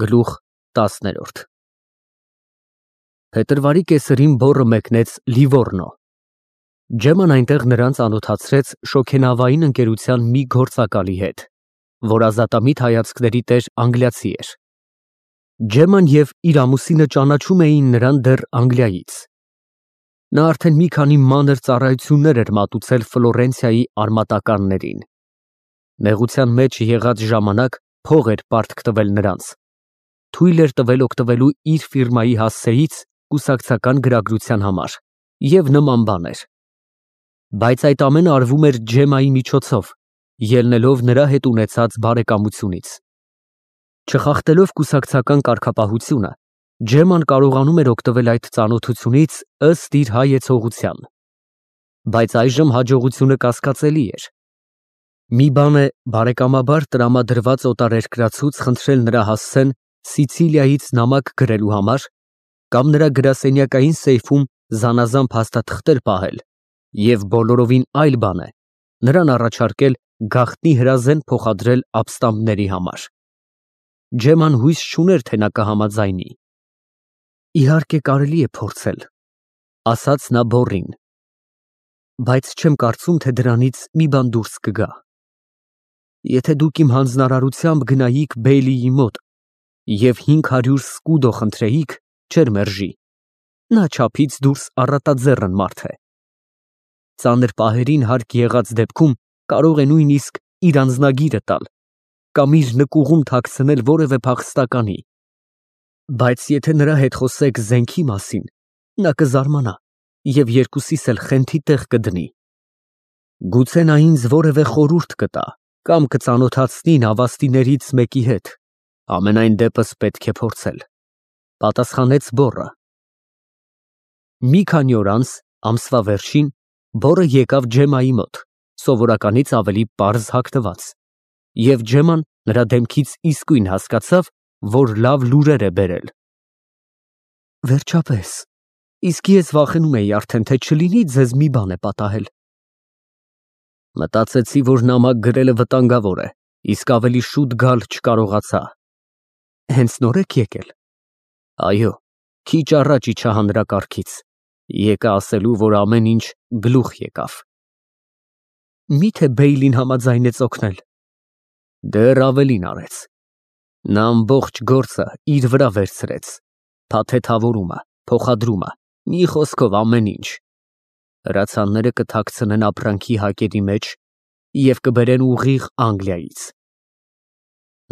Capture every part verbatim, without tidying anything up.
Գլուխ տասներորդ Փետրվարի կեսերին բոռը մեկնեց Լիվոռնո։ Ջեման այնտեղ նրան ծանոթացրեց շոգենավային ընկերության մի գործակալի հետ, որ ազատամիտ հայացքների տեր անգլիացի էր։ Ջեման և իր ամուսինը ճանաչում էին նրան դեռ Անգլիայից։ Նա արդեն մի քանի մանր ծառայություններ էր մատուցել Ֆլորենցիայի արմատականներին։ Նեղության մեջ եղած ժամանակ փող էր պարտք տվել նրանց, թույլ էր տվել օգտվելու իր ֆիրմայի հասցեից կուսակցական գրագրության համար և նման բաներ։ Բայց այդ ամենը արվում էր Ջեմայի միջոցով, ելնելով նրա հետ ունեցած բարեկամությունից։ Չխախտելով կուսակցական կարգապահությունը, Ջեման կարողանում էր օգտվել այդ ծանոթությունից ըստ իր հայեցողության։ Բայց այժմ հաջողությունը կասկածելի էր։ Մի բան է բարեկամաբար տրամադրված օտարերկրացուց խնդրել նրա հասցեն Սիցիլիայից նամակ գրելու համար կամ նրա գրասենյակային սեյֆում զանազան փաստաթղթեր պահել, և բոլորովին այլ բան է նրան առաջարկել գաղտնի հրազեն փոխադրել ապստամբների համար։ Ջեման հույս չուներ, թե նա կհամաձայնի։ Իհարկե, կարելի է փորձել, ասաց նա բոռին, բայց չեմ կարծում, թե դրանից մի բան դուրս կգա։ Եթե դուք իմ հանձնարարությամբ գնայիք Բեյլիի մոտ և հինգ հարյուր սկուդո խնդրեիք, չէր մերժի, նա չափից դուրս առատաձեռն մարդ է։ Ծանր պահերին հարկ եղած դեպքում կարող է նույնիսկ իր անձնագիրը տալ կամ իր նկուղում թաքցնել որևէ փախստականի, բայց եթե նրա հետ խոսեք զենքի մասին, նա կզարմանա և երկուսիս էլ խենթի տեղ կդնի։ Գուցե նա ինձ որևէ խորհուրդ կտա կամ կծանոթացնի նավաստիներից մեկի հետ, համենայն դեպս պետք է փորձել, պատասխանեց բոռը։ Մի քանի օր անց, ամսվա վերջին, բոռը եկավ Ջեմայի մոտ, սովորականից ավելի պարզ հագնված, և Ջեման նրա դեմքից իսկույն հասկացավ, որ լավ լուրեր է բերել։ Վերջապես, իսկ ես վախենում էի արդեն, թե չլինի ձեզ մի բան է պատահել։ Մտածեցի, որ նամակ գրելը վտանգավոր է, իսկ ավելի շուտ գալ չկարողացա։ Հենց նո՞ր եք եկել։ Այո, քիչ առաջ իջա հանրակարգից, եկա ասելու, որ ամեն ինչ գլուխ եկավ։ Մի՞թե Բեյլին համաձայնեց օգնել։ Դեռ ավելին արեց։ Նա ամբողջ գործը իր վրա վերցրեց, փաթեթավորումը, փոխադրումը, մի խոսքով ամեն ինչ։ Հրացանները կթաքցնեն ապրանքի հակերի մեջ և կբերեն ուղիղ Անգլիայից։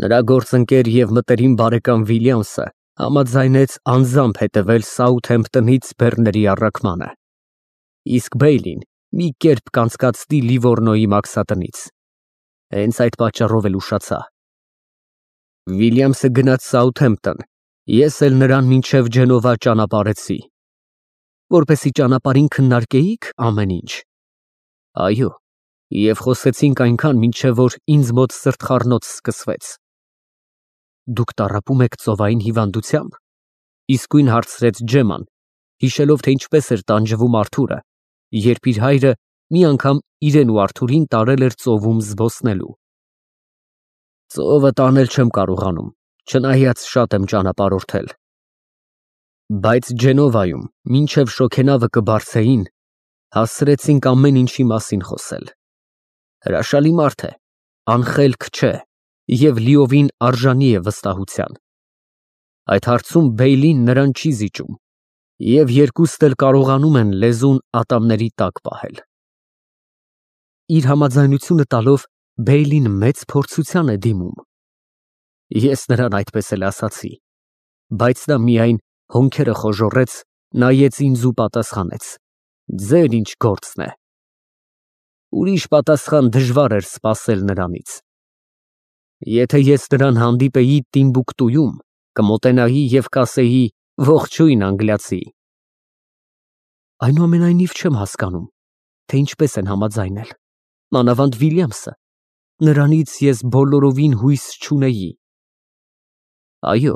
Նրա գործընկեր և մտերիմ բարեկամ Վիլյամսը համաձայնեց անձամբ հետևել Սաութհեմփթոնից բեռների առաքմանը, իսկ Բեյլին մի կերպ կանցկացնի Լիվոռնոյի մաքսատնից։ Հենց այդ պատճառով էլ ուշացա։ Վիլյամսը գնաց Սաութհեմփթոն, ես էլ նրան մինչև Ջենովա ճանապարհեցի։ Որպեսզի ճանապարհին քննարկեի՞ք ամեն ինչ։ Այո, և խոսեցինք այնքան, մինչև որ ինձ մոտ սրտխառնոց սկսվեց։ Դուք տառապում եք ծովային հիվանդությա՞մբ, իսկույն հարցրեց Ջեման, հիշելով, թե ինչպես էր տանջվում Արթուրը, երբ իր հայրը մի անգամ իրեն ու Արթուրին տարել էր ծովում զբոսնելու։ Ծովը տանել չեմ կարողանում, չնայած շատ եմ ճանապարհորդել։ Բայց Ջենովայում, մինչև շոգենավը կբարձեին, հասցրեցինք ամեն ինչի մասին խոսել։ Հրաշալի մարդ է, անխելք չէ և լիովին արժանի է վստահության։ Այդ հարցում Բեյլին նրան չի զիջում, և երկուստ էլ կարողանում են լեզուն ատամների տակ պահել։ Իր համաձայնությունը տալով Բեյլին մեծ փորձության է դիմում։ Ես նրան այդպես էլ ասացի, բայց նա միայն հոնքերը խոժոռեց, նայեց ինձ ու պատասխանեց. ձեր ինչ գործն է։ Ուրիշ պատասխան դժվար էր սպասել նրանից։ Եթե ես նրան հանդիպեի Տիմբուկտուում, կմոտենայի և կասեի. ողջույն, անգլիացի։ Այնուամենայնիվ չեմ հասկանում, թե ինչպես են համաձայնել, մանավանդ Վիլյամսը, նրանից ես բոլորովին հույս չունեի։ Այո,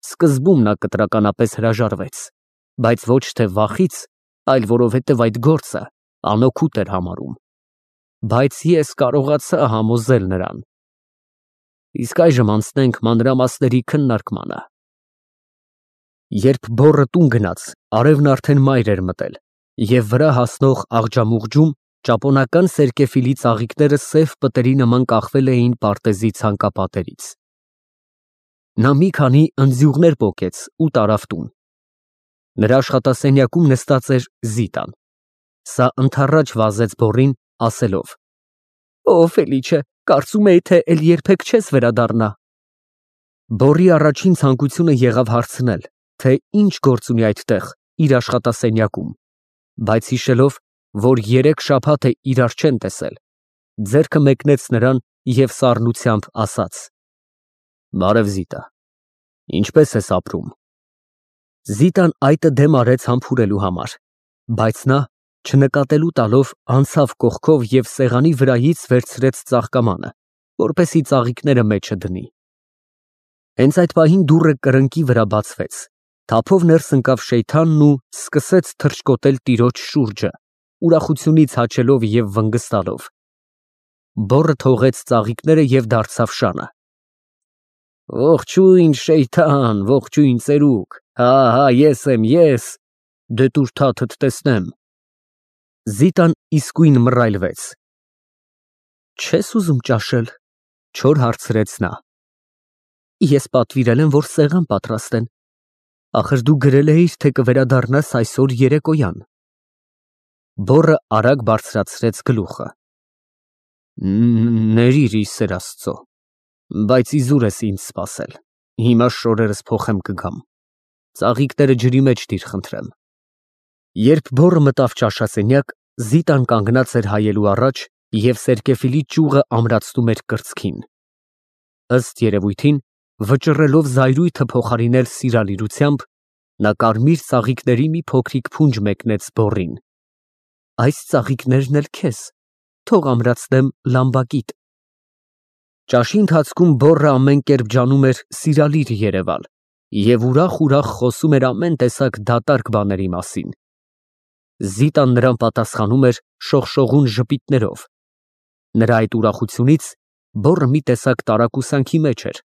սկզբում նա կտրականապես հրաժարվեց, բայց ոչ թե վախից, այլ որովհետև այդ գործը անօգուտ էր համարում։ Բայց ես կարողացա համոզել նրան։ Իսկ այժմ անցնենք մանրամասների քննարկմանը։ Երբ բոռը տուն գնաց, արևն արդեն մայր էր մտել, և վրա հասնող աղջամուղջում ճապոնական սերկևիլի ծաղիկները սև պտերի նման կախվել էին պարտեզի ցանկապատերից։ Նա մի քանի ընձյուղներ պոկեց ու տարավ տուն։ Նրա աշխատասենյակում նստած էր Զիտան։ Սա ընդառաջ վազեց բոռին, ասելով. «Ո Ֆելիչե, կարծում էի, թե էլ երբեք չես վերադառնա»։ Բոռի առաջին ցանկությունը եղավ հարցնել, թե ինչ գործ ունի այդտեղ իր աշխատասենյակում, բայց հիշելով, որ երեք շաբաթ է իրար չեն տեսել, ձեռքը մեկնեց նրան և սառնությամբ ասաց. «Բարև Զիտա, ինչպե՞ս ես ապրում»։ Զիտան այտը դեմ արեց համբուրելու համար, բայց նա, չնկատելու տալով, անցավ կողքով և սեղանի վրայից վերցրեց ծաղկամանը, որպեսզի ծաղիկները մեջը դնի։ Հենց այդ պահին դուռը կրկնակի վրա բացվեց, թափով ներս ընկավ Շեյթանն ու սկսեց թռչկոտել տիրոջ շուրջը, ուրախությունից հաչելով և վնգստալով։ Բոռը թողեց ծաղիկները և դարձավ շանը։ «Ողջույն, Շեյթան, ողջույն ծերուկ, հա, հա, ես եմ, ես, դե տուր թաթդ տեսնեմ»։ Զիտան իսկույն մռայլվեց։ «Չե՞ս ուզում ճաշել», չոր հարցրեց նա։ «Ես պատվիրել եմ, որ սեղան պատրաստեն, ախր դու գրել էիր, թե կվերադառնաս այսօր երեկոյան»։ Բոռը արագ բարձրացրեց գլուխը։ «Ներիր, ի սեր Աստծո, բայց իզուր ես ինձ սպասել, հիմա շորերս փոխեմ կգամ, ծաղիկները ջրի մեջ դիր խնդրեմ»։ Երբ բոռը մտավ ճաշասենյակ, Զիտան կանգնած էր հայելու առաջ և սերկևիլի ճյուղը ամրացնում էր կրծքին։ Ըստ երևույթին, վճռելով զայրույթը փոխարինել սիրալիրությամբ, նա կարմիր ծաղիկների մի փոքրիկ փունջ մեկնեց բոռին։ «Այս ծաղիկներն էլ քեզ, թող ամրացնեմ լամբակիդ»։ Ճաշի ընթացքում բոռը ամեն կերպ ջանում էր սիրալիր երևալ և ուրախ֊ուրախ խոսում էր ամեն տեսակ դատարկ բաների մասին։ Զիտան նրան պատասխանում էր շողշողուն ժպիտներով։ Նրա այդ ուրախությունից բոռը մի տեսակ տարակուսանքի մեջ էր։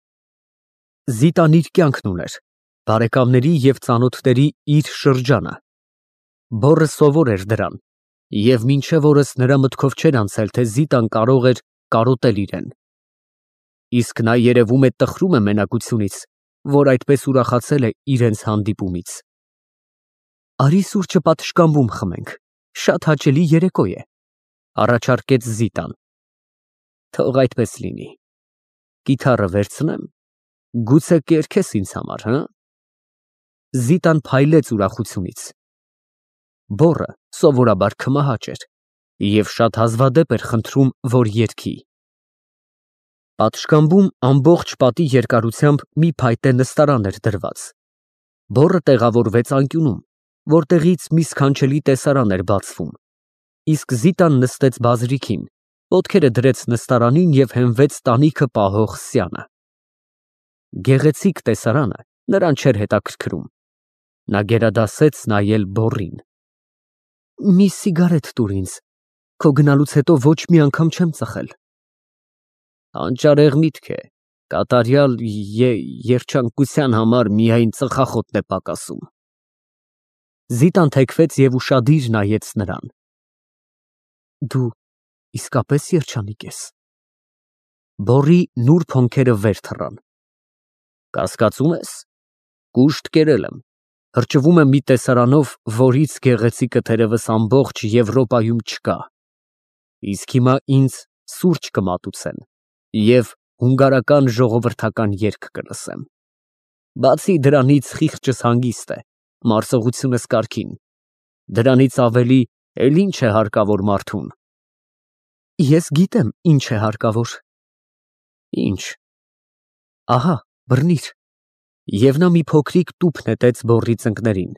Զիտան իր կյանքն ուներ, բարեկամների և ծանոթների իր շրջանը։ Բոռը սովոր էր դրան, և մինչև օրս նրա մտքով չէր անցել, թե Զիտան կարող էր կարոտել իրեն։ Իսկ նա, երևում է, տխրում է մենակությունից, որ այդպես ուրախացել է իրենց հանդիպումից։ «Արի սուրճը պատշգամբում խմենք, շատ հաճելի երեկո է», առաջարկեց Զիտան։ «Թող այդպես լինի, կիթառը վերցնեմ, գուցե կերքես ինձ համար, հը»։ Զիտան փայլեց ուրախությունից։ Բոռը սովորաբար քմահաճ էր և շատ հազվադեպ էր խնդրում, որ երգի։ Պատշգամբում ամբողջ պատի երկարությամբ մի փայտե նստարան էր դրված։ Բոռը տեղավորվեց անկյունում, որտեղից մի սքանչելի տեսարան էր բացվում, իսկ Զիտան նստեց բազրիքին, ոտքերը դրեց նստարանին և հենվեց տանիքը պահող սյանը։ Գեղեցիկ տեսարանը նրան չէր հետաքրքրում։ Նա գերադասեց նայել բոռին։ «Մի սիգարետ տուր ինձ, քո գնալուց հետո ոչ մի անգամ չեմ ծխել»։ «Հանճարեղ միտք է, կատարյալ երջանկության համար միայն ծխախոտն է պակասում»։ Զիտան թեքվեց և ուշադիր նայեց նրան։ «Դու իսկապես երջանիկ ես»։ Բոռի նուրբ հոնքերը վեր թռան։ «Կասկածում ես, կուշտ կերել եմ, հրճվում եմ մի տեսարանով, որից գեղեցիկը թերևս ամբողջ Եվրոպայում չկա, իսկ հիմա ինձ սուրճ կմատուցեն և հունգարական ժողովրդական երգ կլսեմ։ Բացի դրանից խիղճս հանգիստ է, մարսողությունս կարգին, դրանից ավելի էլ ինչ է հարկավոր մարդուն»։ «Ես գիտեմ, ինչ է հարկավոր»։ «Ինչ»։ «Ահա, բռնիր»։ Եվ նա մի փոքրիկ տուփ նետեց բոռի ծնկներին։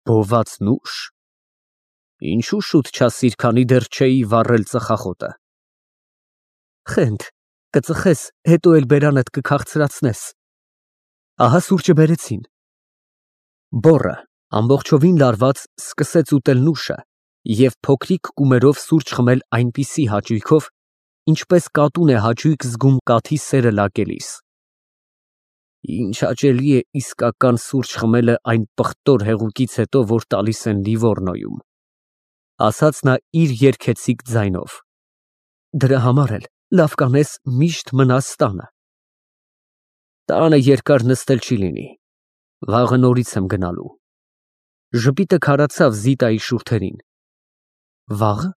«Բոված նուշ, ինչու շուտ չասիր, քանի դեռ չէի վառել ծխախոտը»։ «Խենթ, կծխես, հետո էլ բերանդ կքաղցրացնես»։ «Ահա սուրճը բերեցին»։ Բոռը, ամբողջովին լարված, սկսեց ուտել նուշը և փոքրիկ կումերով սուրճ խմել այնպիսի հաճույքով, ինչպես կատուն է հաճույք զգում կաթի սերը լակելիս։ Ինչ հաճելի է իսկական սուրճ խմելը այն պղտոր հեղուկից հետո, որ տալիս են Լիվորնոյում, ասաց նա իր երգեցիկ ձայնով։ Դրա համար էլ լավ կանես միշտ մնաս տանը։ Տանը երկար նստել չի լինի, վաղը նորից եմ գնալու։ Ժպիտը քարացավ Զիտայի շուրթերին։ Վաղը։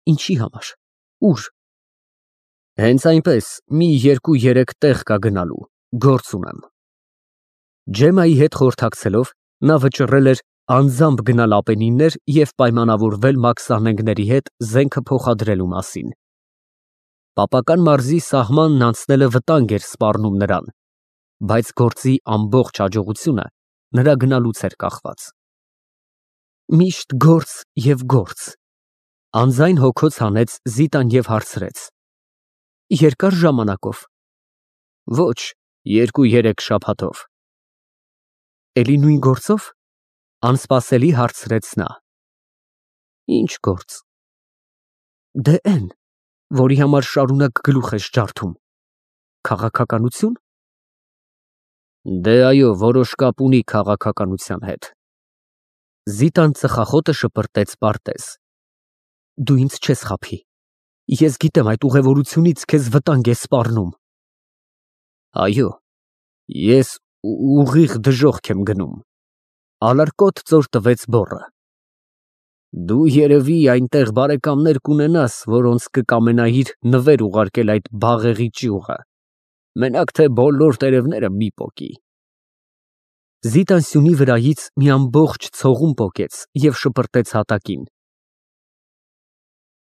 Ինչի համար։ Ուր։ Հենց այնպես մի երկու-երեք տեղ կա գնալու, գործ ունեմ։ Ջեմայի հետ խորհրդակցելով նա վճռել էր անձամբ գնալ Ապենիններ և պայմանավորվել մաքսանենգների հետ զենքը փոխադրելու մասին։ Պապական մարզի սահմանն անցնելը վտանգ էր սպառնում նրան, բայց գործի ամբողջ հաջողությունը նրա գնալուց էր կախված։ Միշտ գործ և գործ, անձայն հոգոց հանեց Զիտան և հարցրեց. Երկար ժամանակով։ Ոչ, երկու-երեք շաբաթով։ Էլի նույն գործո՞վ, անսպասելի հարցրեց նա։ Ինչ գործ։ Դե էն, որի համար շարունակ գլուխ ես ջարդում, քաղաքականությո՞ւն։ Դե այո, որոշ կապ ունի քաղաքականության հետ։ Զիտան ծխախոտը շպրտեց պարտեզ։ Դու ինձ չես խաբի, ես գիտեմ այդ ուղևորությունից քեզ վտանգ է սպառնում։ Այո, ես ուղիղ դժոխք եմ գնում։ Ալարկոտ ծոր տվեց բոռը։ Դու երևի այնտեղ բարեկամներ կունենաս, որոնց կկամենայիր նվեր ուղարկել այդ բաղեղի ճյուղը, մենակ թե բոլոր տերևները մի պոկի։ Զիտան սյունի վրայից մի ամբողջ ցողուն պոկեց և շպրտեց հատակին։